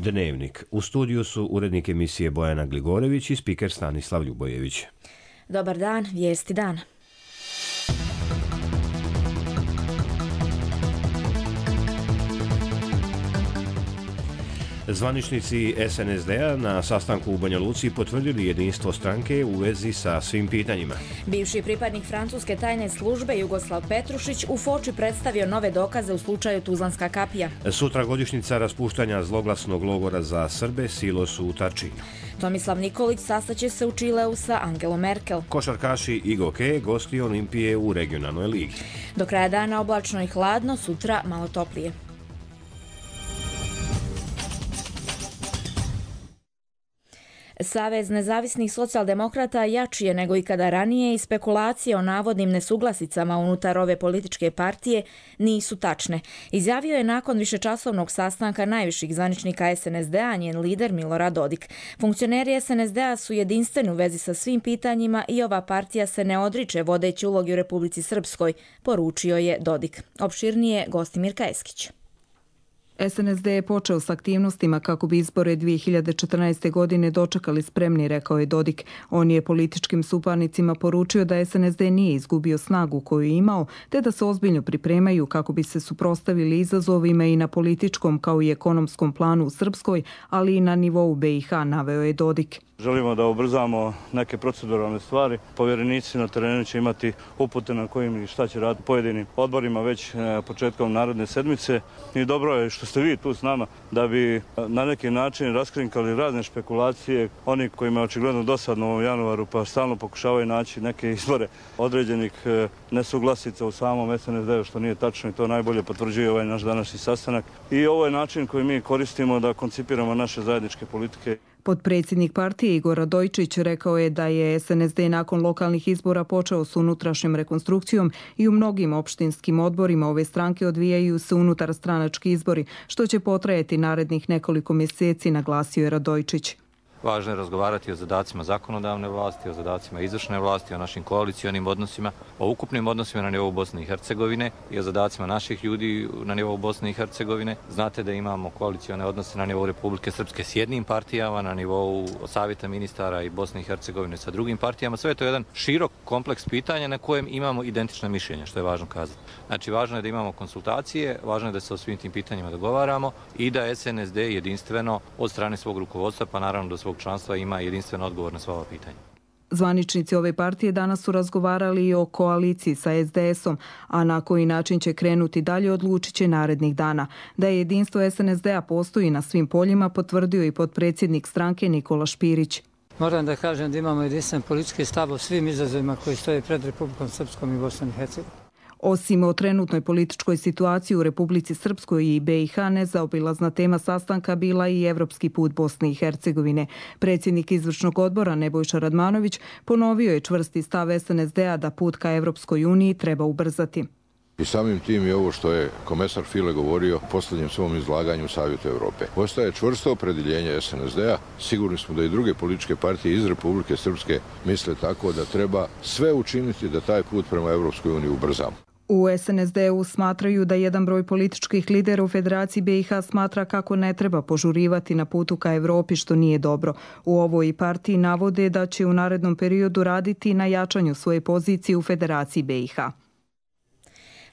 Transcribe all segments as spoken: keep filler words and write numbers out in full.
Dnevnik. U studiju su urednik emisije Bojana Gligorević i spiker Stanislav Ljubojević. Dobar dan, vijesti dana. Zvaničnici es en es de a na sastanku u Banja Luci potvrdili jedinstvo stranke u vezi sa svim pitanjima. Bivši pripadnik francuske tajne službe Jugoslav Petrušić u Foči predstavio nove dokaze u slučaju Tuzlanska kapija. Sutra godišnjica raspuštanja zloglasnog logora za Srbe Silos u Tačinu. Tomislav Nikolić sastaće se u Čileu sa Angelom Merkel. Košarkaši Igoke gosti Olimpije u regionalnoj ligi. Do kraja dana oblačno i hladno, sutra malo toplije. Savez nezavisnih socijaldemokrata jači je nego ikada ranije i spekulacije o navodnim nesuglasicama unutar ove političke partije nisu tačne. Izjavio je nakon višečasovnog sastanka najviših zvaničnika es en es de a njen lider Milorad Dodik. Funkcioneri es en es de a su jedinstveni u vezi sa svim pitanjima i ova partija se ne odriče vodeći ulogi u Republici Srpskoj, poručio je Dodik. Opširnije Gostimirka Eskić. es en es de je počeo s aktivnostima kako bi izbore dvije hiljade četrnaeste. godine dočekali spremni, rekao je Dodik. On je političkim suparnicima poručio da es en es de nije izgubio snagu koju je imao, te da se ozbiljno pripremaju kako bi se suprotstavili izazovima i na političkom kao i ekonomskom planu u Srpskoj, ali i na nivou be i ha, naveo je Dodik. Želimo da ubrzamo neke proceduralne stvari. Povjerenici na terenu će imati upute na kojim i šta će raditi pojedinim odborima već početkom naredne sedmice. I dobro je što ste vi tu s nama da bi na neki način raskrinkali razne špekulacije. Oni kojima je očigledno dosadno u ovom januaru pa stalno pokušavaju naći neke izbore određenih nesuglasica u samom es en es de-u, što nije tačno i to najbolje potvrđuje ovaj naš današnji sastanak. I ovo je način koji mi koristimo da koncipiramo naše zajedničke politike. Potpredsjednik partije Igor Radojčić rekao je da je es en es de nakon lokalnih izbora počeo s unutrašnjom rekonstrukcijom i u mnogim opštinskim odborima ove stranke odvijaju se unutar stranački izbori, što će potrajati narednih nekoliko mjeseci, naglasio je Radojčić. Važno je razgovarati o zadacima zakonodavne vlasti, o zadacima izvršne vlasti, o našim koalicionim odnosima, o ukupnim odnosima na nivou Bosne i Hercegovine i o zadacima naših ljudi na nivou Bosne i Hercegovine. Znate da imamo koalicione odnose na nivou Republike Srpske s jednim partijama, na nivou Savjeta ministara i Bosne i Hercegovine sa drugim partijama. Sve je to jedan širok kompleks pitanja na kojem imamo identična mišljenja, što je važno kazati. Znači, važno je da imamo konsultacije, važno je da se o svim tim pitanjima dogovaramo i da es en es de jedinstveno od strane svog rukovodstva, pa naravno do svog članstva ima jedinstven odgovor na sva ova pitanja. Zvaničnici ove partije danas su razgovarali i o koaliciji sa es de esom, a na koji način će krenuti dalje odlučit će narednih dana. Da je jedinstvo es en es de-a postoji na svim poljima potvrdio i potpredsjednik stranke Nikola Špirić. Moram da kažem da imamo jedinstven politički stav o svim izazovima koji stoje pred Republikom Srpskom i Bosnom i Hercegovinom. Osim o trenutnoj političkoj situaciji u Republici Srpskoj i be i ha, nezaobilazna tema sastanka bila i evropski put Bosne i Hercegovine. Predsjednik izvršnog odbora Nebojša Radmanović ponovio je čvrsti stav es en es de-a da put ka Evropskoj uniji treba ubrzati. I samim tim je ovo što je komesar File govorio u posljednjem svom izlaganju u Savjetu Evrope. Postaje čvrsto opredjeljenje es en es de-a. Sigurni smo da i druge političke partije iz Republike Srpske misle tako da treba sve učiniti da taj put prema Evropskoj uniji ubrzamo. U es en es de-u smatraju da jedan broj političkih lidera u Federaciji be i ha smatra kako ne treba požurivati na putu ka Evropi, što nije dobro. U ovoj partiji navode da će u narednom periodu raditi na jačanju svoje pozicije u Federaciji be i ha.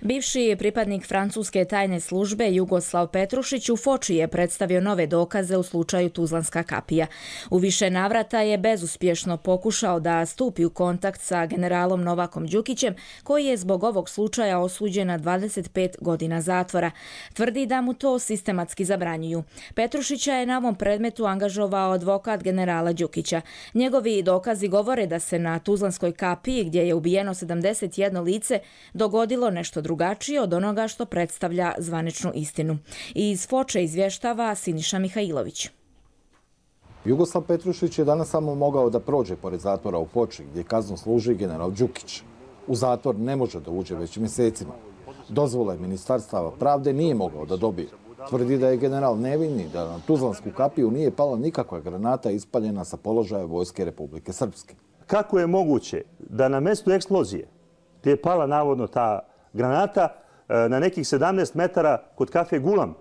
Bivši pripadnik francuske tajne službe Jugoslav Petrušić u Foči je predstavio nove dokaze u slučaju Tuzlanska kapija. U više navrata je bezuspješno pokušao da stupi u kontakt sa generalom Novakom Đukićem, koji je zbog ovog slučaja osuđen na dvadeset pet godina zatvora. Tvrdi da mu to sistematski zabranjuju. Petrušića je na ovom predmetu angažovao advokat generala Đukića. Njegovi dokazi govore da se na Tuzlanskoj kapiji, gdje je ubijeno sedamdeset jedno lice, dogodilo nešto drugačije od onoga što predstavlja zvaničnu istinu. Iz Foče izvještava Siniša Mihajlović. Jugoslav Petrušić je danas samo mogao da prođe pored zatvora u Foči, gdje kaznu služi general Đukić. U zatvor ne može da uđe već mjesecima. Dozvole Ministarstva pravde nije mogao da dobije. Tvrdi da je general nevini, da na Tuzlansku kapiju nije pala nikakva granata ispaljena sa položaja Vojske Republike Srpske. Kako je moguće da na mjestu eksplozije, gdje je pala navodno ta granata, na nekih sedamnaest metara kod kafe Gulam,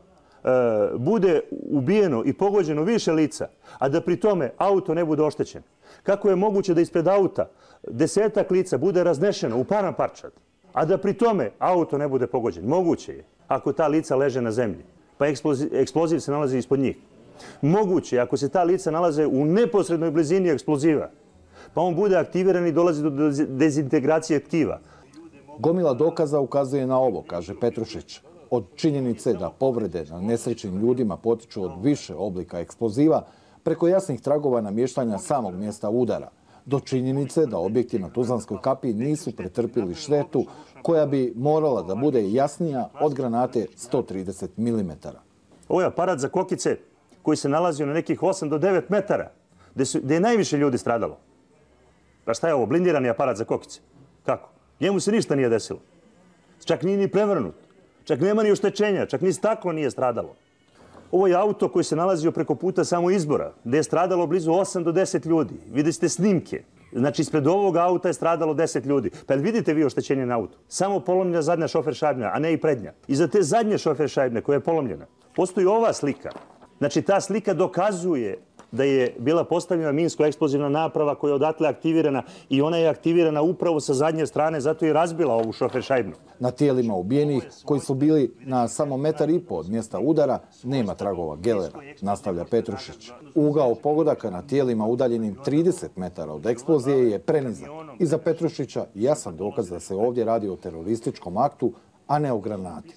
bude ubijeno i pogođeno više lica, a da pri tome auto ne bude oštećen? Kako je moguće da ispred auta desetak lica bude raznešeno u paramparčad, a da pri tome auto ne bude pogođen? Moguće je ako ta lica leže na zemlji, pa eksploziv, eksploziv se nalazi ispod njih. Moguće je ako se ta lica nalaze u neposrednoj blizini eksploziva, pa on bude aktiviran i dolazi do dezintegracije tkiva. Gomila dokaza ukazuje na ovo, kaže Petrušić. Od činjenice da povrede na nesrećnim ljudima potiču od više oblika eksploziva, preko jasnih tragova namještanja samog mjesta udara, do činjenice da objekti na Tuzlanskoj kapiji nisu pretrpili štetu koja bi morala da bude jasnija od granate sto trideset milimetara. Ovo je aparat za kokice koji se nalazio na nekih osam do devet metara, gdje, su, gdje je najviše ljudi stradalo. Pa šta je ovo, blindirani aparat za kokice? Kako? Njemu se ništa nije desilo. Čak nije ni prevrnut. Čak nema ni oštećenja, čak ni staklo nije stradalo. Ovo je auto koji se nalazio preko puta samo izbora, gdje je stradalo blizu osam do deset ljudi. Vidite ste snimke. Znači, ispred ovog auta je stradalo deset ljudi. Pa vidite vi oštećenje na autu? Samo polomljena zadnja šofer šajbna, a ne i prednja. I za te zadnje šofer šajbne koja je polomljena, postoji ova slika. Znači, ta slika dokazuje da je bila postavljena minsko-eksplozivna naprava koja je odatle aktivirana i ona je aktivirana upravo sa zadnje strane, zato je razbila ovu šofer šajbnu. Na tijelima ubijenih, koji su bili na samo metar i po od mjesta udara, nema tragova gelera, nastavlja Petrušić. Ugao pogodaka na tijelima udaljenim trideset metara od eksplozije je prenizak. I za Petrušića jasan dokaz da se ovdje radi o terorističkom aktu, a ne o granati.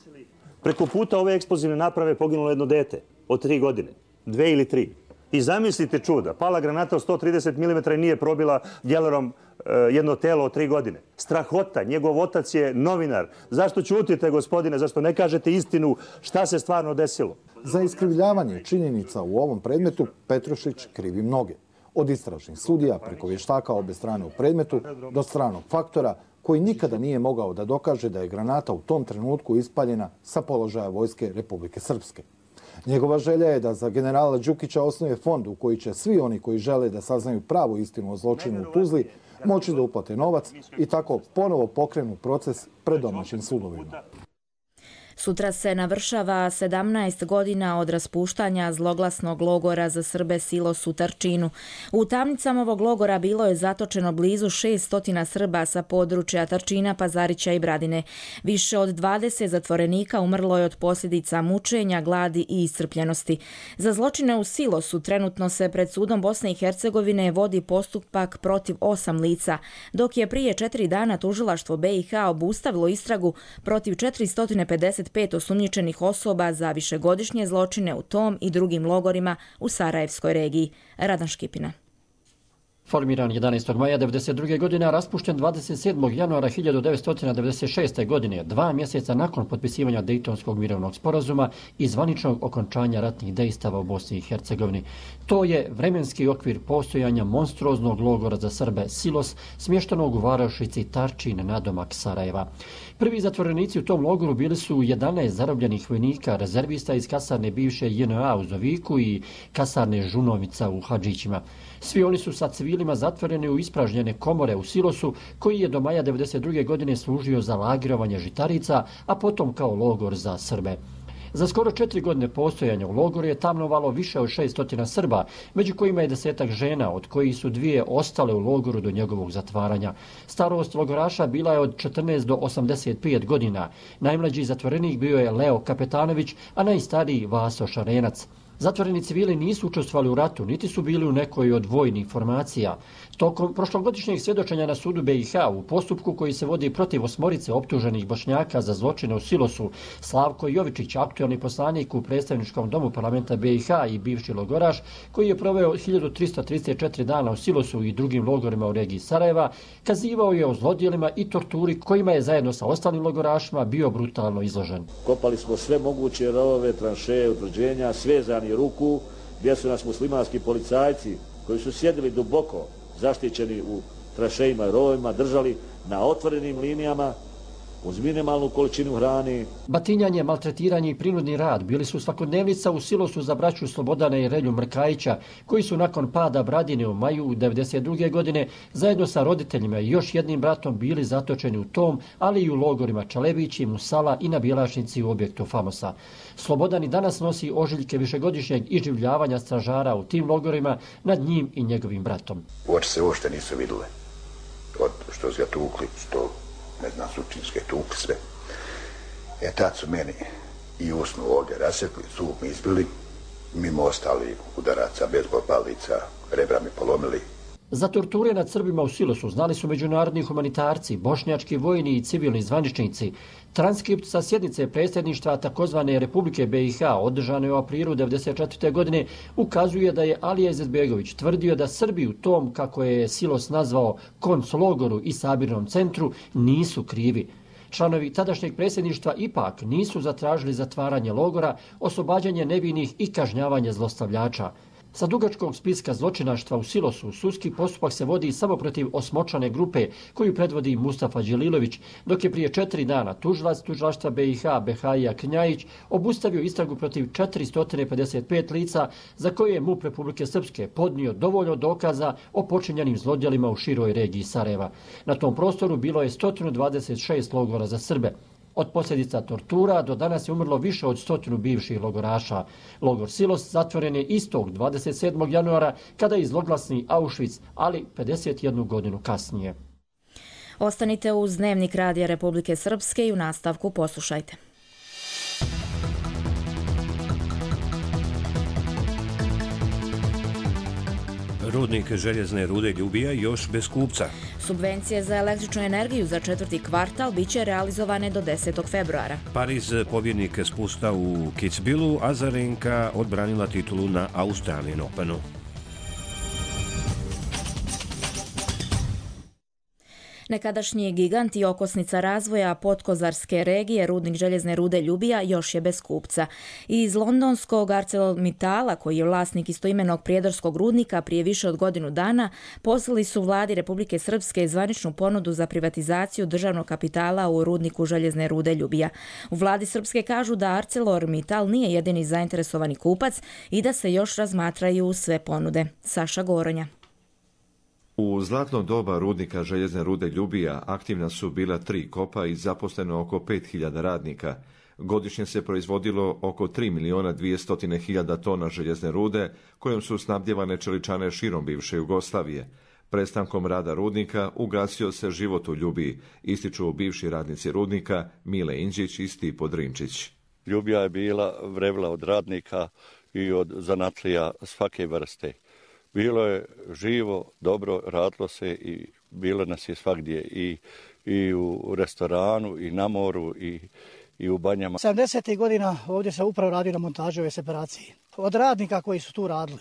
Preko puta ove eksplozivne naprave poginulo jedno dete od tri godine, dve ili tri. I zamislite čuda, pala granata od sto trideset milimetara i nije probila gelerom e, jedno telo od tri godine. Strahota, njegov otac je novinar. Zašto ćutite, gospodine, zašto ne kažete istinu šta se stvarno desilo? Za iskrivljavanje činjenica u ovom predmetu Petrušić krivi mnoge. Od istražnih sudija preko vještaka obe strane u predmetu do stranog faktora koji nikada nije mogao da dokaže da je granata u tom trenutku ispaljena sa položaja Vojske Republike Srpske. Njegova želja je da za generala Đukića osnuje fond u koji će svi oni koji žele da saznaju pravu istinu o zločinu u Tuzli moći da uplate novac i tako ponovo pokrenu proces pred domaćim sudovima. Sutra se navršava sedamnaest godina od raspuštanja zloglasnog logora za Srbe Silos u Tarčinu. U tamnicama ovog logora bilo je zatočeno blizu šessto Srba sa područja Tarčina, Pazarića i Bradine. Više od dvadeset zatvorenika umrlo je od posljedica mučenja, gladi i iscrpljenosti. Za zločine u Silosu trenutno se pred sudom Bosne i Hercegovine vodi postupak protiv osam lica, dok je prije četiri dana tužilaštvo B i H obustavilo istragu protiv četiristo pedeset pet osumnjičenih osoba za višegodišnje zločine u tom i drugim logorima u Sarajevskoj regiji. Radan Škipina. Formiran jedanaestog maja devedeset druge. godine, a raspušten dvadeset sedmog januara hiljadu devetsto devedeset šeste. godine, dva mjeseca nakon potpisivanja Dejtonskog mirovnog sporazuma i zvaničnog okončanja ratnih dejstava u Bosni i Hercegovini. To je vremenski okvir postojanja monstruoznog logora za Srbe Silos, smještenog u varošici Tarčin nadomak Sarajeva. Prvi zatvorenici u tom logoru bili su jedanaest zarobljenih vojnika, rezervista iz kasarne bivše J N A u Zoviku i kasarne Žunovica u Hadžićima. Svi oni su sa civilima zatvoreni u ispražnjene komore u Silosu, koji je do maja devedeset druge. godine služio za lagirovanje žitarica, a potom kao logor za Srbe. Za skoro četiri godine postojanja u logoru je tamnovalo više od šeststo Srba, među kojima je desetak žena, od kojih su dvije ostale u logoru do njegovog zatvaranja. Starost logoraša bila je od četrnaest do osamdeset pet godina. Najmlađi zatvorenik bio je Leo Kapetanović, a najstariji Vaso Šarenac. Zatvoreni civili nisu učestvovali u ratu, niti su bili u nekoj od vojnih formacija. Tokom prošlogodišnjeg svjedočenja na sudu B i H u postupku koji se vodi protiv osmorice optuženih Bošnjaka za zločine u Silosu, Slavko Jovičić, aktualni poslanik u predstavničkom domu parlamenta B i H i bivši logoraš, koji je proveo hiljadu tristo trideset četiri dana u Silosu i drugim logorima u regiji Sarajeva, kazivao je o zlodjelima i torturi kojima je zajedno sa ostalim logorašima bio brutalno izložen. Kopali smo sve moguće rovove, tranšeje, utvrđenja, svezani ruku, gdje su nas muslimanski policajci koji su sjedili duboko zaštićeni u tranšejima i rovovima, držali na otvorenim linijama uz minimalnu količinu hrani. Batinjanje, maltretiranje i prinudni rad bili su svakodnevnica u silosu za braću Slobodana i Relju Mrkajića, koji su nakon pada Bradine u maju devedeset druge godine zajedno sa roditeljima i još jednim bratom bili zatočeni u tom, ali i u logorima Čalebići, Musala i na Bjelašnici u objektu Famosa. Slobodan i danas nosi ožiljke višegodišnjeg iživljavanja stražara u tim logorima nad njim i njegovim bratom. Oči se uopšte nisu vidjele. Od što su ga tukli, što ne znam, sučinske tukli sve. E tad su meni i usnu ovdje rasjekli, zub mi izbili, mimo ostali udaraca, bezbol palica, rebra mi polomili. Za torture nad Srbima u silosu znali su međunarodni humanitarci, bošnjački vojni i civilni zvaničnici. Transkript sa sjednice predsjedništva takozvane Republike B i H održane u aprilu devedeset četvrte godine ukazuje da je Alija Izetbegović tvrdio da Srbi u tom, kako je silos nazvao, konclogoru i sabirnom centru nisu krivi. Članovi tadašnjeg predsjedništva ipak nisu zatražili zatvaranje logora, oslobađanje nevinih i kažnjavanje zlostavljača. Sa dugačkog spiska zločinaštva u silosu sudski postupak se vodi samo protiv osmočlane grupe koju predvodi Mustafa Đelilović, dok je prije četiri dana tužilac tužilaštva B i H Behaija Knjajić obustavio istragu protiv četiristo pedeset pet lica za koje je MUP Republike Srpske podnio dovoljno dokaza o počinjenim zlodjelima u široj regiji Sarajeva. Na tom prostoru bilo je sto dvadeset šest logora za Srbe. Od posljedica tortura do danas je umrlo više od stotinu bivših logoraša. Logor Silos zatvoren je istog dvadeset sedmog januara kada je zloglasni Auschwitz, ali pedeset jednu godinu kasnije. Ostanite uz Dnevnik Radija Republike Srpske i u nastavku poslušajte. Rudnik željezne rude Ljubija još bez kupca. Subvencije za električnu energiju za četvrti kvartal biće realizovane do desetog februara. Pariz pobjednik spusta u Kitzbühelu, a Azarenka odbranila titulu na Australian Openu. Nekadašnji gigant i okosnica razvoja podkozarske regije, rudnik željezne rude Ljubija, još je bez kupca. Iz londonskog ArcelorMittala, koji je vlasnik istoimenog prijedorskog rudnika, prije više od godinu dana poslali su vladi Republike Srpske zvaničnu ponudu za privatizaciju državnog kapitala u rudniku željezne rude Ljubija. U vladi Srpske kažu da ArcelorMittal nije jedini zainteresovani kupac i da se još razmatraju sve ponude. Saša Goronja. U zlatno doba rudnika željezne rude Ljubija aktivna su bila tri kopa i zaposleno oko pet hiljada radnika. Godišnje se proizvodilo oko tri miliona dvjesto hiljada tona željezne rude, kojom su snabdjevane čeličane širom bivše Jugoslavije. Prestankom rada rudnika ugasio se život u Ljubiji, ističu bivši radnici rudnika Mile Inđić i Stipo Drinčić. Ljubija je bila vrevla od radnika i od zanatlija svake vrste. Bilo je živo, dobro, radilo se i bilo nas je svagdje i, i u restoranu i na moru i, i u banjama. sedamdesetih godina ovdje se upravo radi na montaži ove separacije. Od radnika koji su tu radili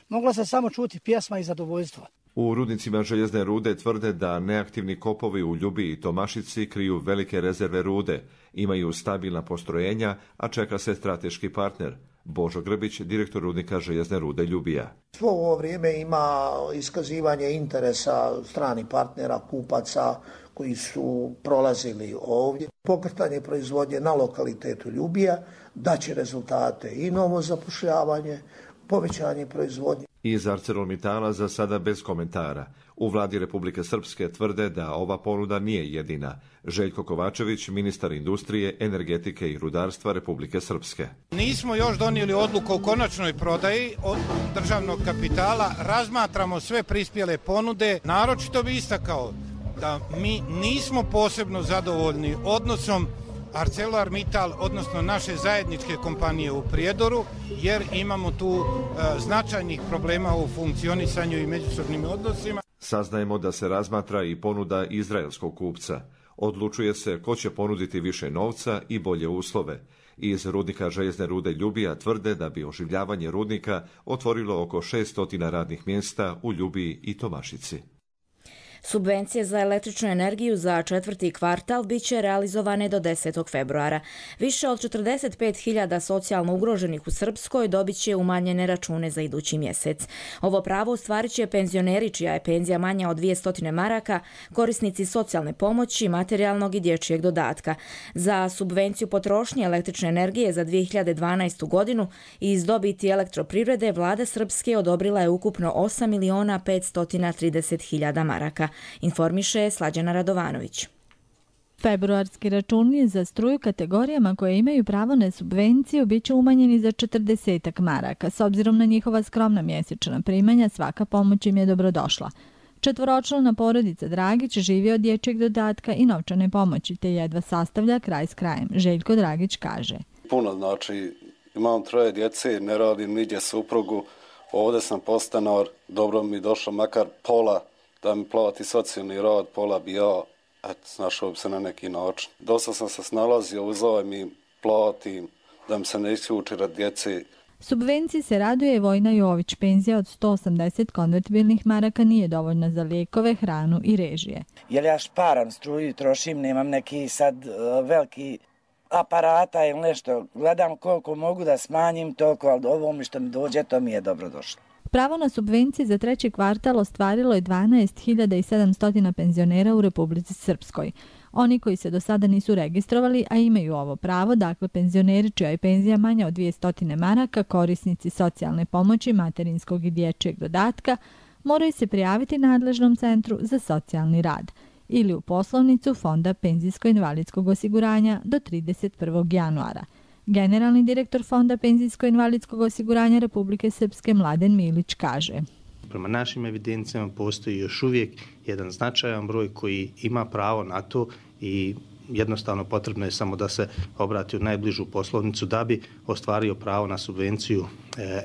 mogla se samo čuti pjesma i zadovoljstva. U rudnicima željezne rude tvrde da neaktivni kopovi u Ljubiji i Tomašici kriju velike rezerve rude, imaju stabilna postrojenja, a čeka se strateški partner. Božo Grbić, direktor rudnika željezne rude Ljubija. Svo ovo vrijeme ima iskazivanje interesa stranih partnera, kupaca koji su prolazili ovdje. Pokretanje proizvodnje na lokalitetu Ljubija daće rezultate i novo zapošljavanje, povećanje proizvodnje. Iz ArcelorMittala za sada bez komentara. U vladi Republike Srpske tvrde da ova ponuda nije jedina. Željko Kovačević, ministar industrije, energetike i rudarstva Republike Srpske. Nismo još donijeli odluku o konačnoj prodaji od državnog kapitala. Razmatramo sve prispjele ponude. Naročito bi istakao da mi nismo posebno zadovoljni odnosom ArcelorMittal, odnosno naše zajedničke kompanije u Prijedoru, jer imamo tu e, značajnih problema u funkcionisanju i međusobnim odnosima. Saznajemo da se razmatra i ponuda izraelskog kupca. Odlučuje se ko će ponuditi više novca i bolje uslove. Iz rudnika željezne rude Ljubija tvrde da bi oživljavanje rudnika otvorilo oko šest stotina radnih mjesta u Ljubiji i Tomašici. Subvencije za električnu energiju za četvrti kvartal bit će realizovane do desetog februara. Više od četrdeset pet hiljada socijalno ugroženih u Srpskoj dobit će umanjene račune za idući mjesec. Ovo pravo ostvarit će penzioneri čija je penzija manja od dvjesto maraka, korisnici socijalne pomoći, materijalnog i dječjeg dodatka. Za subvenciju potrošnje električne energije za dvije hiljade dvanaestu godinu iz dobiti elektroprivrede vlada Srpske odobrila je ukupno osam miliona petsto trideset hiljada maraka, informiše Slađana Radovanović. Februarski računi za struju kategorijama koje imaju pravo na subvenciju bit će umanjeni za četrdeset maraka. S obzirom na njihova skromna mjesečna primanja, svaka pomoć im je dobrodošla. Četvoročlana porodica Dragić živi od dječjeg dodatka i novčane pomoći, te jedva sastavlja kraj s krajem. Željko Dragić kaže. Puno, znači imam troje djece, ne radim nigdje suprugu, ovdje sam podstanar, dobro mi došlo makar pola da mi plati socijalni rad, pola bi ja, eto, snašao bi se na neki način. Dosta sam se snalazio, uzao mi platim, da mi se ne isključi rad djece. Subvenciji se raduje Vojna Jović. Penzija od sto osamdeset konvertibilnih maraka nije dovoljna za lijekove, hranu i režije. Jer ja šparam struju, trošim, nemam neki sad uh, veliki aparata ili nešto. Gledam koliko mogu da smanjim toliko, ali ovo mi što mi dođe, to mi je dobro došlo. Pravo na subvencije za treći kvartal ostvarilo je dvanaest hiljada sedamsto penzionera u Republici Srpskoj. Oni koji se do sada nisu registrovali, a imaju ovo pravo, dakle penzioneri čija je penzija manja od dvjesto maraka, korisnici socijalne pomoći, materinskog i dječjeg dodatka, moraju se prijaviti nadležnom centru za socijalni rad ili u poslovnicu Fonda penzijsko-invalidskog osiguranja do trideset prvog januara. Generalni direktor Fonda penzijsko-invalidskog osiguranja Republike Srpske Mladen Milić kaže. Prema našim evidencijama postoji još uvijek jedan značajan broj koji ima pravo na to i jednostavno potrebno je samo da se obrati u najbližu poslovnicu da bi ostvario pravo na subvenciju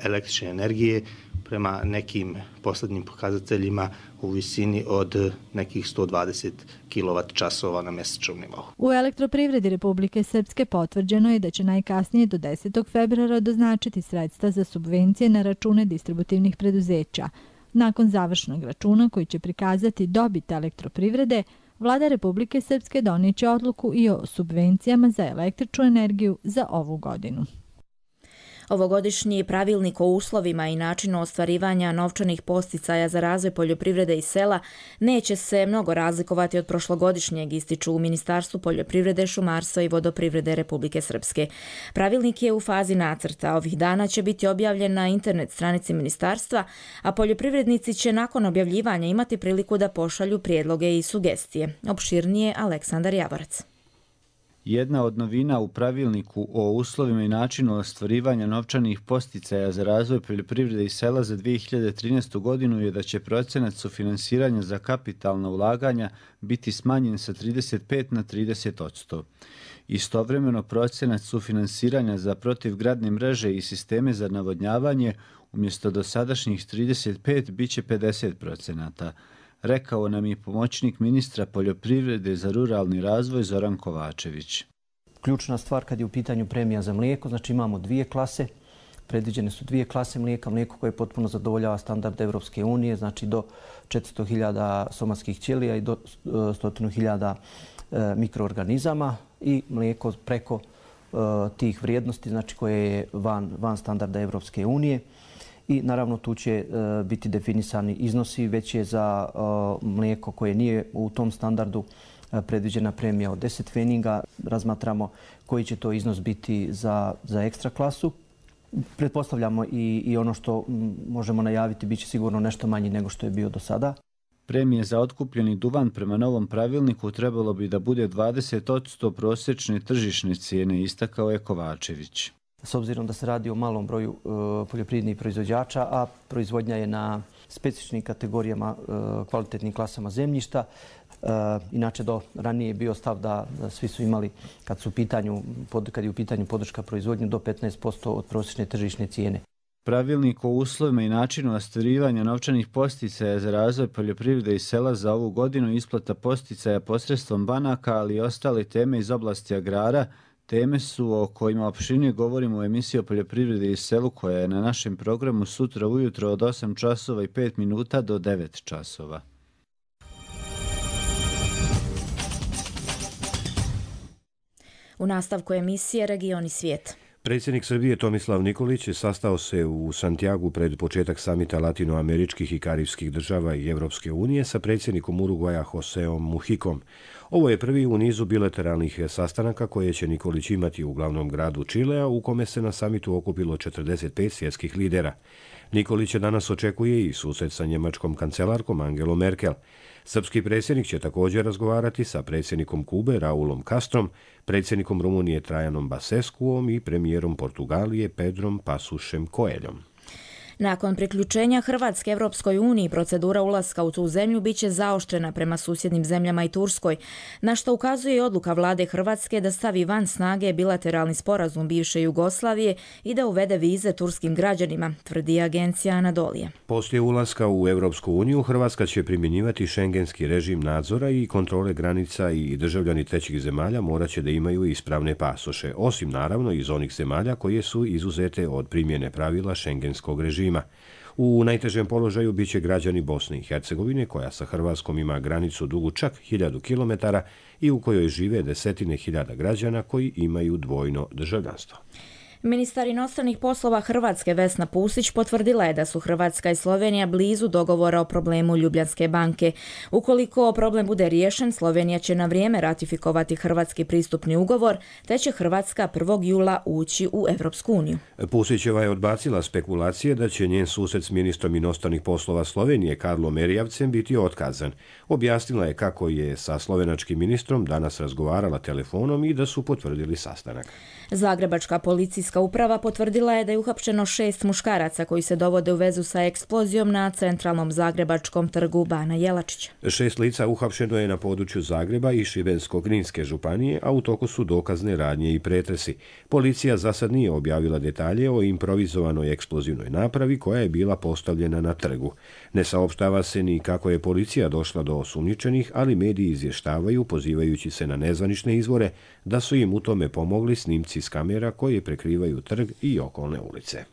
električne energije prema nekim posljednjim pokazateljima u visini od nekih sto dvadeset kilovat časova na mjesečnom nivou. U elektroprivredi Republike Srpske potvrđeno je da će najkasnije do desetog februara doznačiti sredstva za subvencije na račune distributivnih preduzeća. Nakon završnog računa koji će prikazati dobit elektroprivrede, Vlada Republike Srpske donijeće odluku i o subvencijama za električnu energiju za ovu godinu. Ovogodišnji pravilnik o uslovima i načinu ostvarivanja novčanih podsticaja za razvoj poljoprivrede i sela neće se mnogo razlikovati od prošlogodišnjeg, ističu u Ministarstvu poljoprivrede, šumarstva i vodoprivrede Republike Srpske. Pravilnik je u fazi nacrta. Ovih dana će biti objavljen na internet stranici ministarstva, a poljoprivrednici će nakon objavljivanja imati priliku da pošalju prijedloge i sugestije. Opširnije Aleksandar Javorac. Jedna od novina u pravilniku o uslovima i načinu ostvarivanja novčanih podsticaja za razvoj poljoprivrede i sela za dvije hiljade trinaestu godinu je da će procenat sufinansiranja za kapitalna ulaganja biti smanjen sa trideset pet na trideset posto. Istovremeno procenat sufinansiranja za protivgradne mreže i sisteme za navodnjavanje umjesto dosadašnjih trideset pet bit će pedeset procenata. Rekao nam je pomoćnik ministra poljoprivrede za ruralni razvoj Zoran Kovačević. Ključna stvar kad je u pitanju premija za mlijeko, znači imamo dvije klase, predviđene su dvije klase mlijeka, mlijeko koje potpuno zadovoljava standard Evropske unije, znači do četiristo hiljada somatskih ćelija i do sto hiljada mikroorganizama i mlijeko preko tih vrijednosti, znači koje je van, van standarda Evropske unije. I naravno tu će uh, biti definisani iznosi, već je za uh, mlijeko koje nije u tom standardu uh, predviđena premija od deset feninga. Razmatramo koji će to iznos biti za, za ekstra klasu. Pretpostavljamo i, i ono što m, možemo najaviti bit će sigurno nešto manji nego što je bio do sada. Premije za otkupljeni duvan prema novom pravilniku trebalo bi da bude dvadeset posto prosječne tržišne cijene, istakao je Kovačević. S obzirom da se radi o malom broju uh, poljoprivrednih proizvođača, a proizvodnja je na specifičnim kategorijama, uh, kvalitetnim klasama zemljišta. Uh, inače, do ranije je bio stav da, da svi su imali, kad, su u pitanju, pod, kad je u pitanju podrška proizvodnje, do petnaest posto od prosječne tržišne cijene. Pravilnik o uslovima i načinu ostvarivanja novčanih podsticaja za razvoj poljoprivrede i sela za ovu godinu, isplata podsticaja posredstvom banaka, ali i ostale teme iz oblasti agrara, teme su o kojima opširnije govorimo u emisiji o poljoprivredi i selu koja je na našem programu sutra ujutro od osam časova i pet minuta do devet časova. U nastavku emisije Regioni svijet. Predsjednik Srbije Tomislav Nikolić sastao se u Santiagu pred početak samita latinoameričkih i karibskih država i Evropske unije sa predsjednikom Urugvaja Joseom Mujikom. Ovo je prvi u nizu bilateralnih sastanaka koje će Nikolić imati u glavnom gradu Čilea, u kome se na samitu okupilo četrdeset pet svjetskih lidera. Nikolić danas očekuje i susret sa njemačkom kancelarkom Angelom Merkel. Srpski predsjednik će također razgovarati sa predsjednikom Kube Raulom Castrom, predsjednikom Rumunije Trajanom Basescuom i premijerom Portugalije Pedrom Pasušem Coelhom. Nakon priključenja Hrvatske Evropskoj uniji, procedura ulaska u tu zemlju biće zaoštrena prema susjednim zemljama i Turskoj, na što ukazuje i odluka vlade Hrvatske da stavi van snage bilateralni sporazum bivše Jugoslavije i da uvede vize turskim građanima, tvrdi agencija Anadolije. Poslije ulaska u Evropsku uniju, Hrvatska će primjenjivati šengenski režim nadzora i kontrole granica i državljani trećih zemalja morat će da imaju ispravne pasoše, osim naravno iz onih zemalja koje su izuzete od primjene pravila šengenskog režima. U najtežem položaju biće građani Bosne i Hercegovine, koja sa Hrvatskom ima granicu dugu čak hiljadu kilometara i u kojoj žive desetine hiljada građana koji imaju dvojno državljanstvo. Ministar inostranih poslova Hrvatske Vesna Pusić potvrdila je da su Hrvatska i Slovenija blizu dogovora o problemu Ljubljanske banke. Ukoliko problem bude riješen, Slovenija će na vrijeme ratifikovati hrvatski pristupni ugovor, te će Hrvatska prvog jula ući u Evropsku uniju. Pusićeva je odbacila spekulacije da će njen susret s ministrom inostranih poslova Slovenije Karlom Erjavcem biti otkazan. Objasnila je kako je sa slovenačkim ministrom danas razgovarala telefonom i da su potvrdili sastanak. Zagrebačka policijska uprava potvrdila je da je uhapšeno šest muškaraca koji se dovode u vezu sa eksplozijom na centralnom zagrebačkom trgu Bana Jelačića. Šest lica uhapšeno je na području Zagreba i Šibensko-kninske županije, a u toku su dokazne radnje i pretresi. Policija za sad nije objavila detalje o improvizovanoj eksplozivnoj napravi koja je bila postavljena na trgu. Ne saopštava se ni kako je policija došla do osumnjičenih, ali mediji izvještavaju, pozivajući se na nezvanične izvore, da su im u tome pomogli snimci s kamera koje prekrivaju trg i okolne ulice.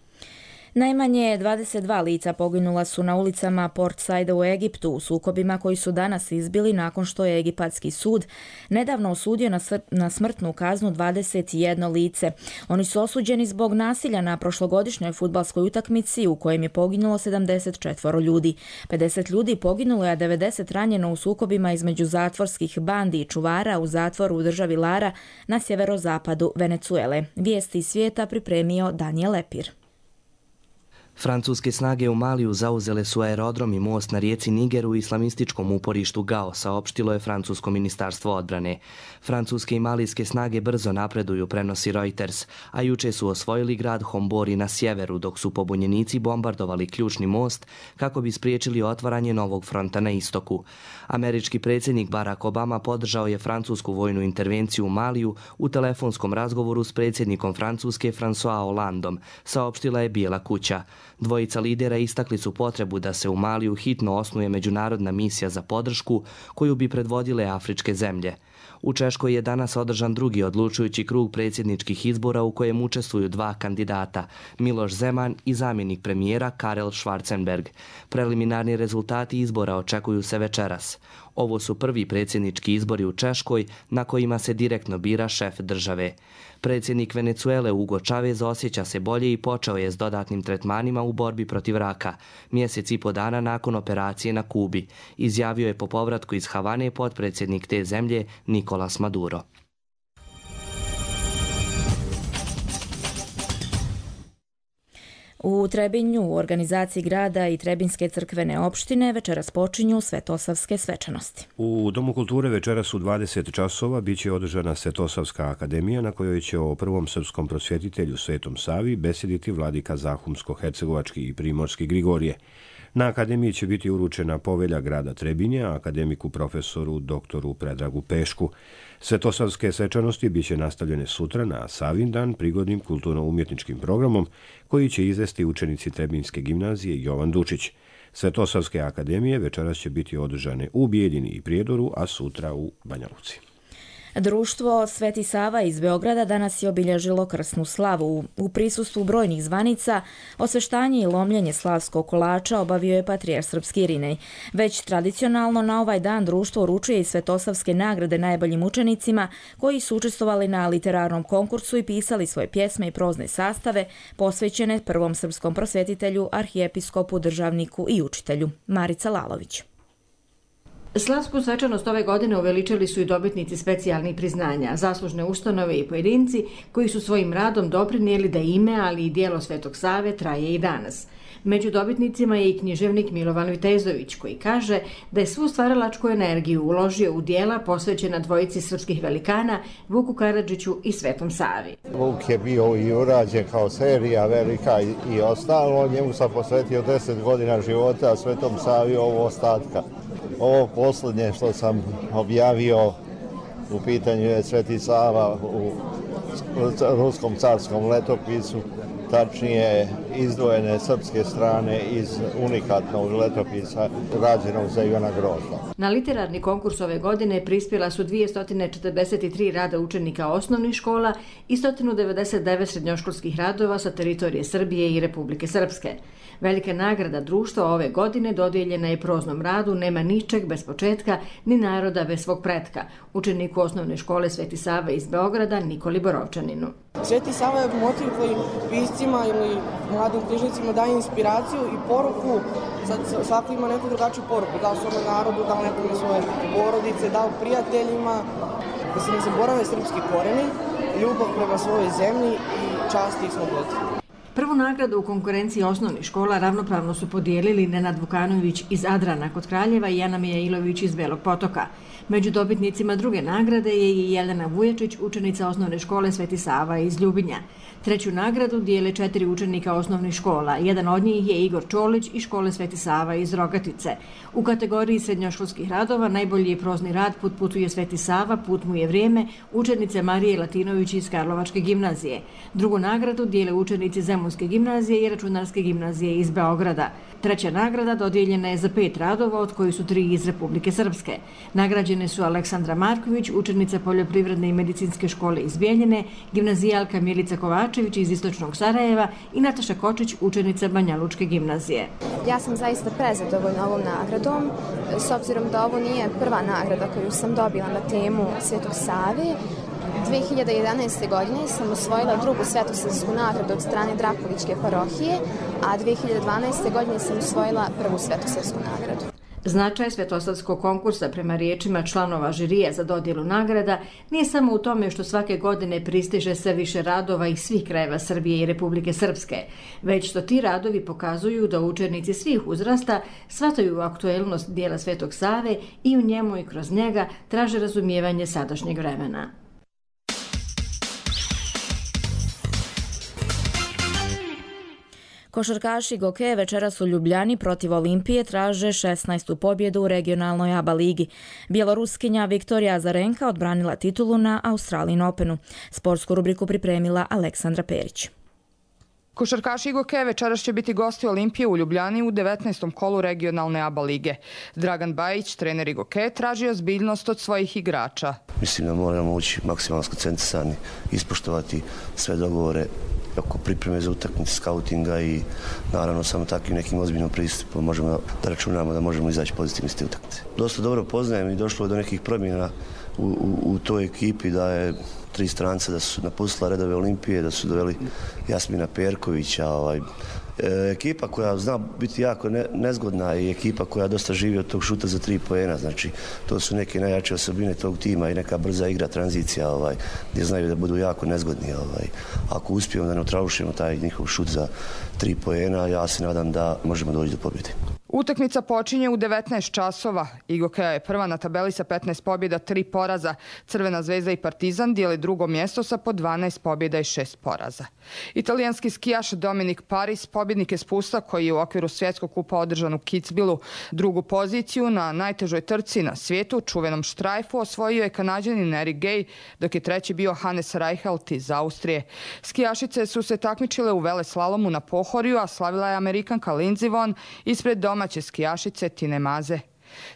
Najmanje dvadeset dva lica poginula su na ulicama Port Saida u Egiptu u sukobima koji su danas izbili nakon što je egipatski sud nedavno osudio na, na smrtnu kaznu dvadeset jedno lice. Oni su osuđeni zbog nasilja na prošlogodišnjoj fudbalskoj utakmici u kojem je poginulo sedamdeset četvoro ljudi. pedeset ljudi poginulo je, a devedeset ranjeno u sukobima između zatvorskih bandi i čuvara u zatvoru u državi Lara na sjeverozapadu Venecuele. Vijesti iz svijeta pripremio Daniel Lepir. Francuske snage u Maliju zauzele su aerodrom i most na rijeci Niger u islamističkom uporištu Gao, saopštilo je francusko ministarstvo odbrane. Francuske i malijske snage brzo napreduju, prenosi Reuters, a juče su osvojili grad Hombori na sjeveru, dok su pobunjenici bombardovali ključni most kako bi spriječili otvaranje novog fronta na istoku. Američki predsjednik Barack Obama podržao je francusku vojnu intervenciju u Maliju u telefonskom razgovoru s predsjednikom Francuske François Hollandom, saopštila je Bijela kuća. Dvojica lidera istakli su potrebu da se u Maliju hitno osnuje međunarodna misija za podršku koju bi predvodile afričke zemlje. U Češkoj je danas održan drugi odlučujući krug predsjedničkih izbora u kojem učestvuju dva kandidata, Miloš Zeman i zamjenik premijera Karel Schwarzenberg. Preliminarni rezultati izbora očekuju se večeras. Ovo su prvi predsjednički izbori u Češkoj na kojima se direktno bira šef države. Predsjednik Venecuele Hugo Chavez osjeća se bolje i počeo je s dodatnim tretmanima u borbi protiv raka, mjesec i po dana nakon operacije na Kubi, izjavio je po povratku iz Havane potpredsjednik te zemlje Nicolas Maduro. U Trebinju, u organizaciji grada i Trebinjske crkvene opštine, večeras počinju Svetosavske svečanosti. U Domu kulture večeras u dvadeset časova biće održana Svetosavska akademija na kojoj će o prvom srpskom prosvjetitelju Svetom Savi besediti vladika Zahumsko-hercegovački i primorski Grigorije. Na akademiji će biti uručena povelja grada Trebinja, akademiku profesoru doktoru Predragu Pešku. Svetosavske svečanosti biće nastavljene sutra na Savin dan prigodnim kulturno-umjetničkim programom koji će izvesti učenici Trebinjske gimnazije Jovan Dučić. Svetosavske akademije večeras će biti održane u Bijeljini i Prijedoru, a sutra u Banja Luci. Društvo Sveti Sava iz Beograda danas je obilježilo krsnu slavu. U prisustvu brojnih zvanica osveštanje i lomljenje slavskog kolača obavio je patrijarh srpski Irinej. Već tradicionalno na ovaj dan društvo uručuje i svetosavske nagrade najboljim učenicima koji su učestvovali na literarnom konkursu i pisali svoje pjesme i prozne sastave posvećene prvom srpskom prosvetitelju, arhijepiskopu, državniku i učitelju. Marica Lalović. Slavsku svečanost ove godine uveličili su i dobitnici specijalnih priznanja, zaslužne ustanove i pojedinci koji su svojim radom doprinijeli da ime, ali i dijelo Svetog Save traje i danas. Među dobitnicima je i književnik Milovan Vitezović koji kaže da je svu stvaralačku energiju uložio u dijela posvećena dvojici srpskih velikana Vuku Karadžiću i Svetom Savi. Vuk je bio i urađen kao serija velika i, i ostalo, njemu sam posvetio deset godina života, a Svetom Savi ovo ostatka. Ovo posljednje što sam objavio u pitanju je Sveti Sava u ruskom carskom letopisu, tačnije izdvojene srpske strane iz unikatnog letopisa rađenog za Ivana Grozda. Na literarni konkurs ove godine prispjela su dvjesto četrdeset tri rada učenika osnovnih škola i sto devedeset devet srednjoškolskih radova sa teritorije Srbije i Republike Srpske. Velika nagrada društva ove godine dodijeljena je proznom radu Nema ničeg bez početka, ni naroda bez svog pretka, učeniku osnovne škole Sveti Sava iz Beograda Nikoli Borovčaninu. Sveti Sava je motiv koji piscima ili mladim knjižnicima daje inspiraciju i poruku, svako ima neku drugačiju poruku, dao svome narodu, dao nekome svoje porodice, dao prijateljima, da se ne zaborave srpski koreni, ljubav prema svojoj zemlji i časti i slobodi. Prvu nagradu u konkurenciji osnovnih škola ravnopravno su podijelili Nenad Vukanović iz Adrana kod Kraljeva i Ana Mijailović iz Belog Potoka. Među dobitnicima druge nagrade je i Jelena Vujačić, učenica osnovne škole Sveti Sava iz Ljubinja. Treću nagradu dijele četiri učenika osnovnih škola. Jedan od njih je Igor Čolić iz škole Sveti Sava iz Rogatice. U kategoriji srednjoškolskih radova najbolji je prozni rad Put putuje Sveti Sava, Put mu je vrijeme, učenice Marije Latinović iz Karlovačke gimnazije. Drugu nagradu dijele učenici Zemunske gimnazije i Računarske gimnazije iz Beograda. Treća nagrada dodijeljena je za pet radova, od kojih su tri iz Republike Srpske. Nagrađene su Aleksandra Marković, učenica Poljoprivredne i medicinske škole iz Bijeljine, gimnazijalka Milica Kovačević iz Istočnog Sarajeva i Nataša Kočić, učenica Banjalučke gimnazije. Ja sam zaista prezadovoljna ovom nagradom, s obzirom da ovo nije prva nagrada koju sam dobila na temu Svetog Save. dvije hiljade jedanaeste. godine sam osvojila drugu svetosavsku nagradu od strane Drakuličke parohije, a dvije hiljade dvanaeste. godine sam osvojila prvu svetosavsku nagradu. Značaj svetosavskog konkursa prema riječima članova žirija za dodjelu nagrada nije samo u tome što svake godine pristiže sve više radova iz svih krajeva Srbije i Republike Srpske, već što ti radovi pokazuju da učenici svih uzrasta shvataju aktuelnost dijela Svetog Save i u njemu i kroz njega traže razumijevanje sadašnjeg vremena. Košarkaši Goke večeras u Ljubljani protiv Olimpije traže šesnaestu pobjedu u regionalnoj A B A ligi. Bjeloruskinja Viktorija Azarenka odbranila titulu na Australian Openu. Sportsku rubriku pripremila Aleksandra Perić. Košarkaši Goke večeras će biti gosti Olimpije u Ljubljani u devetnaestom kolu regionalne A B A lige. Dragan Bajić, trener Goke, traži ozbiljnost od svojih igrača. Mislim da moramo ući maksimalno skoncentrisani, ispoštovati sve dogovore oko pripreme za utakmice, skautinga i naravno samo takvim nekim ozbiljnom pristupom možemo da računamo da možemo izaći pozitivno iz te utakmice. Dosta dobro poznajem i došlo je do nekih promjena u, u, u toj ekipi, da je tri stranca da su napustila redove Olimpije, da su doveli Jasmina Perkovića, ovaj, ekipa koja zna biti jako ne, nezgodna i ekipa koja dosta živi od tog šuta za tri poena, znači to su neke najjače osobine tog tima i neka brza igra, tranzicija, ovaj, gdje znaju da budu jako nezgodni. Ovaj. Ako uspijemo da neutrališemo taj njihov šut za tri poena, ja se nadam da možemo doći do pobjede. Utakmica počinje u devetnaest časova. Igokea je prva na tabeli sa petnaest pobjeda, tri poraza. Crvena zvezda i Partizan dijeli drugo mjesto sa po dvanaest pobjeda i šest poraza. Italijanski skijaš Dominik Paris, pobjednik je spusta koji je u okviru svjetskog kupa održan u Kitzbühelu. Drugu poziciju na najtežoj trci na svijetu, čuvenom štrajfu, osvojio je Kanađanin Eric Gay, dok je treći bio Hannes Reichelt iz Austrije. Skijašice su se takmičile u veleslalomu na Pohorju, a slavila je Amerikanka Lindsey Vonn ispred domaće skijašice Tine Maze.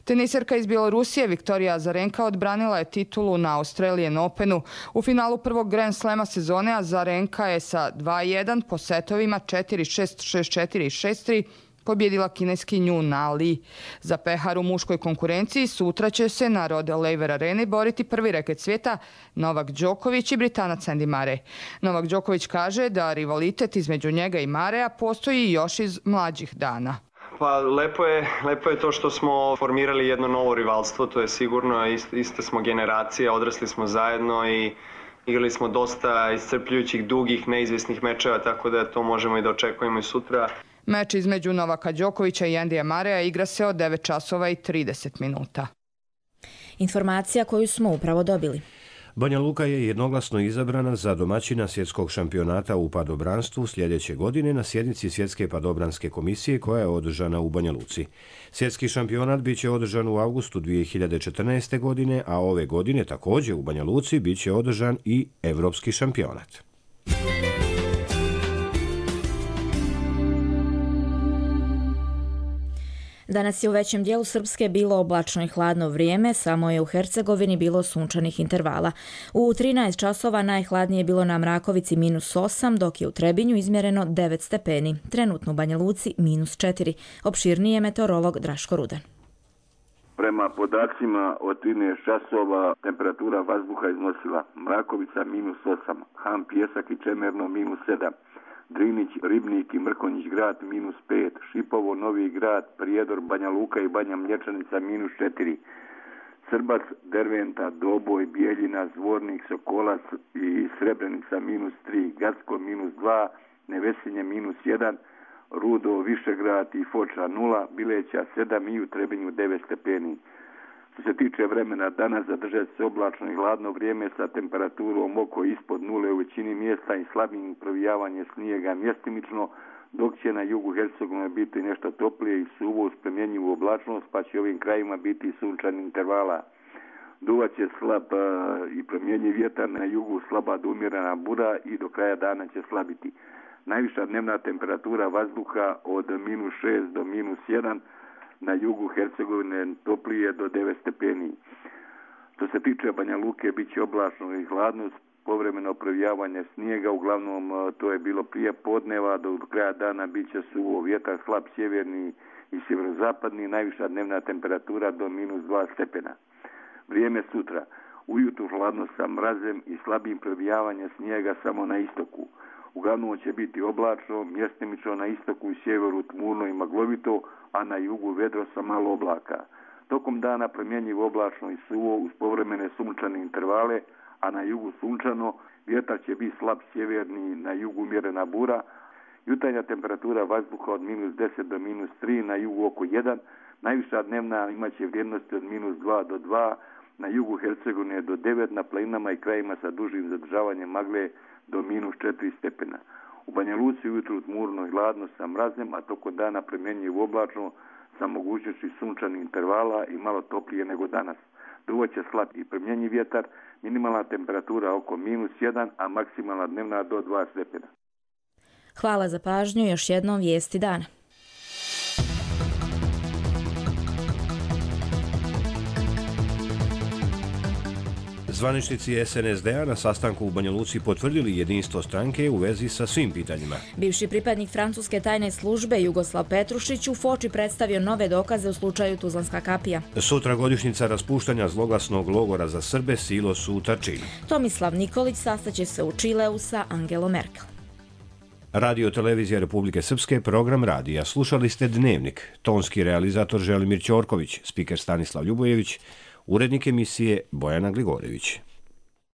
Teniserka iz Bjelorusije Viktorija Azarenka odbranila je titulu na Australian Openu. U finalu prvog Grand Slema sezone Azarenka je sa dva jedan po setovima četiri šest, šest četiri i šest tri pobjedila kineskinju Na Li. Za pehar u muškoj konkurenciji sutra će se na Rod Laver Areni boriti prvi reket svijeta Novak Đoković i Britanac Andy Murray. Novak Đoković kaže da rivalitet između njega i Murraya postoji još iz mlađih dana. Pa lepo je, lepo je to što smo formirali jedno novo rivalstvo, to je sigurno, ist, iste smo generacije, odrasli smo zajedno i igrali smo dosta iscrpljujućih, dugih, neizvjesnih mečeva, tako da to možemo i da očekujemo i sutra. Meč između Novaka Đokovića i Andyja Murraya igra se od devet časova i trideset minuta. Informacija koju smo upravo dobili. Banja Luka je jednoglasno izabrana za domaćina svjetskog šampionata u padobranstvu sljedeće godine na sjednici Svjetske padobranske komisije koja je održana u Banja Luci. Svjetski šampionat bit će održan u avgustu dvije hiljade četrnaeste. godine, a ove godine također u Banja Luci bit će održan i Evropski šampionat. Danas je u većem dijelu Srpske bilo oblačno i hladno vrijeme, samo je u Hercegovini bilo sunčanih intervala. U trinaest časova najhladnije je bilo na Mrakovici minus osam, dok je u Trebinju izmjereno devet stepeni. Trenutno u Banja Luci minus četiri. Opširniji je meteorolog Draško Rudan. Prema podacima od trinaest časova temperatura vazduha iznosila Mrakovica minus osam, Han, Pjesak i Čemerno minus sedam. Drinić, Ribnik i Mrkonjić grad minus pet, Šipovo, Novi grad, Prijedor, Banja Luka i Banja Mlječanica minus četiri, Srbac, Derventa, Doboj, Bijeljina, Zvornik, Sokolac i Srebrenica minus tri, Gacko minus dva, Nevesinje minus jedan, Rudo, Višegrad i Foča nula, Bileća sedam i u Trebinju devet stepeni. Što se tiče vremena, danas zadržat se oblačno i hladno vrijeme sa temperaturom oko ispod nule u većini mjesta i slabim provijavanje snijega mjestimično, dok će na jugu Hercegovine biti nešto toplije i suvo uz promjenjivu oblačnost, pa će ovim krajima biti sunčani intervala. Duvat će slab i promjenjiv vjetar, na jugu slaba do umjerena bura i do kraja dana će slabiti. Najviša dnevna temperatura vazduha od minus šest do minus jedan, na jugu Hercegovine toplije do devet stepeni. Što se tiče Banja Luke, bit će oblačno i hladno, povremeno provijavanje snijega, uglavnom to je bilo prije podneva, do kraja dana bit će suvo, vjetar slab sjeverni i sjeverozapadni, najviša dnevna temperatura do minus dva stepena. Vrijeme sutra, ujutro hladno sa mrazem i slabim provijavanjem snijega samo na istoku. Uglavnom će biti oblačno, mjestimično na istoku i sjeveru tmurno i maglovito, a na jugu vedro sa malo oblaka. Tokom dana promjenjivo oblačno i suvo uz povremene sunčane intervale, a na jugu sunčano, vjetar će biti slab sjeverni, na jugu umjerena bura. Jutarnja temperatura vazduha od minus deset do minus tri, na jugu oko jedan, najviša dnevna imaće vrijednosti od minus dva do dva, na jugu Hercegovine do devet, na planinama i krajima sa dužim zadržavanjem magle do minus četiri stepena. U Banja Luci ujutru tmurno i hladno sa mrazem, a tokom dana promjenjivo oblačno sa mogućnošću sunčanih intervala i malo toplije nego danas. Duvat će slab i promjenjiv vjetar, minimalna temperatura oko minus jedan, a maksimalna dnevna do dva stepena. Hvala za pažnju, još jednom vijesti dana. Zvaničnici es en es de a na sastanku u Banja Luci potvrdili jedinstvo stranke u vezi sa svim pitanjima. Bivši pripadnik francuske tajne službe Jugoslav Petrušić u Foči predstavio nove dokaze u slučaju Tuzlanska kapija. Sutra godišnjica raspuštanja zloglasnog logora za Srbe Silos u Tarčinu. Tomislav Nikolić sastaće se u Čileu sa Angelom Merkel. Radio Televizija Republike Srpske, program radija. Slušali ste Dnevnik. Tonski realizator Želimir Ćorković, spiker Stanislav Ljubojević, urednik emisije Bojana Gligorević.